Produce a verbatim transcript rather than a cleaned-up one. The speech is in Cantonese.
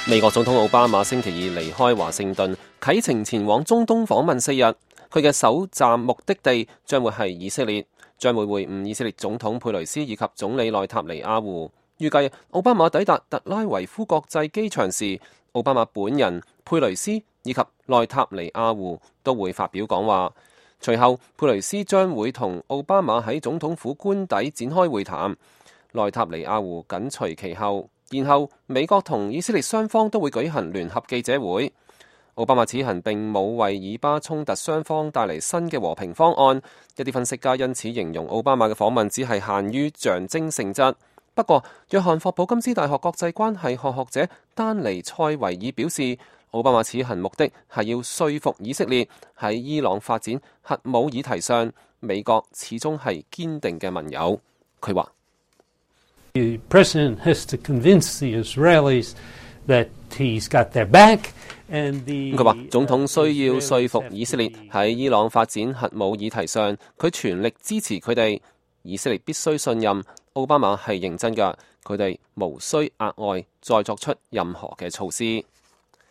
美國總統奧巴馬星期二離開華盛頓，啟程前往中東訪問四日。佢嘅首站目的地將會係以色列，將會會晤以色列總統佩雷斯以及總理內塔尼亞胡。預計奧巴馬抵達特拉維夫國際機場時，奧巴馬本人、佩雷斯以及內塔尼亞胡都會發表講話。隨後，佩雷斯將會同奧巴馬喺總統府官邸展開會談，內塔尼亞胡緊隨其後。然後，美國同以色列雙方都會舉行聯合記者會。奧巴馬此行並冇為以巴衝突雙方帶嚟新嘅和平方案，一啲分析家因此形容奧巴馬嘅訪問只係限於象徵性質。不過，約翰霍普金斯大學國際關係學學者丹尼塞維爾表示，奧巴馬此行目的係要說服以色列喺伊朗發展核武議題上，美國始終係堅定嘅盟友。佢話The president has to convince the Israelis that he's got their back, and the 佢話總統需要說服以色列喺伊朗發展核武議題上，佢全力支持佢哋。以色列必須信任奧巴馬係認真㗎，佢哋無需額外再作出任何嘅措施。